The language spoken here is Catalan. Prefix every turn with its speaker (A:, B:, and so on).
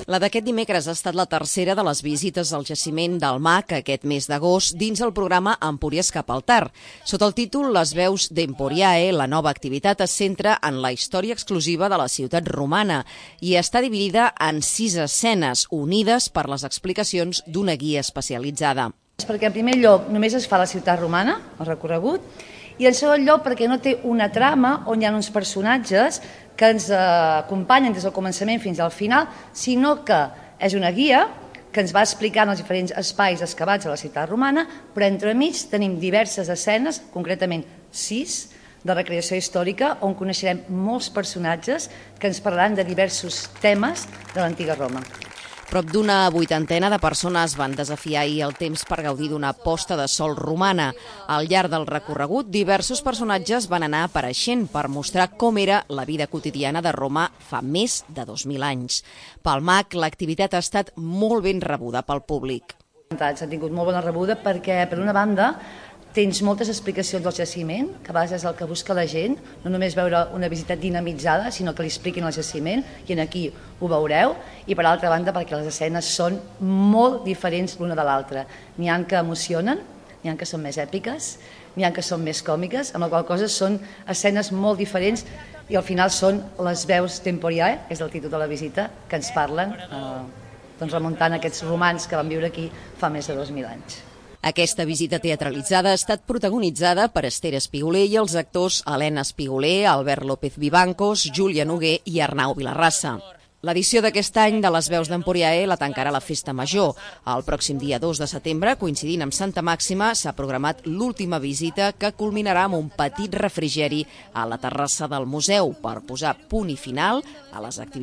A: La d'aquest dimecres ha estat la tercera de les visites al jaciment del MAC aquest mes d'agost dins el programa Empúries cap al Tard. Sota el títol Les veus d'Emporiae, la nova activitat es centra en la història exclusiva de la ciutat romana i està dividida en 6 escenes unides per les explicacions d'una guia especialitzada.
B: Perquè en primer lloc només es fa la ciutat romana, el recorregut, i en segon lloc perquè no té una trama on hi ha uns personatges que ens acompanyen des del començament fins al final, sinó que és una guia que ens va explicant els diferents espais excavats a la ciutat romana, però entremig tenim diverses escenes, concretament 6, de recreació històrica, on coneixerem molts personatges que ens parlaran de diversos temes de l'antiga Roma.
A: Prop d'una 80 de persones van desafiar ahir el temps per gaudir d'una posta de sol romana. Al llarg del recorregut, diversos personatges van anar apareixent per mostrar com era la vida quotidiana de Roma fa més de 2.000 anys. Pel MAC, l'activitat ha estat molt ben rebuda pel públic.
B: S'ha tingut molt bona rebuda perquè, per una banda, tens moltes explicacions del jaciment, que a vegades és el que busca la gent, no només veure una visita dinamitzada, sinó que li expliquin el jaciment, i aquí ho veureu, i per altra banda perquè les escenes són molt diferents l'una de l'altra. N'hi ha que emocionen, n'hi ha que són més èpiques, n'hi ha que són més còmiques, amb la qual cosa són escenes molt diferents i al final són les veus d'Emporiae, és el títol de la visita, que ens parlen, remuntant aquests romans que van viure aquí fa més de 2.000 anys.
A: Aquesta visita teatralitzada ha estat protagonitzada per Esther Espiguler i els actors Helena Espiguler, Albert López Vivancos, Júlia Noguer i Arnau Vilarrassa. L'edició d'aquest any de les veus d'Emporiae la tancarà la Festa Major. El pròxim dia 2 de setembre, coincidint amb Santa Màxima, s'ha programat l'última visita que culminarà amb un petit refrigeri a la terrassa del museu per posar punt i final a les activitats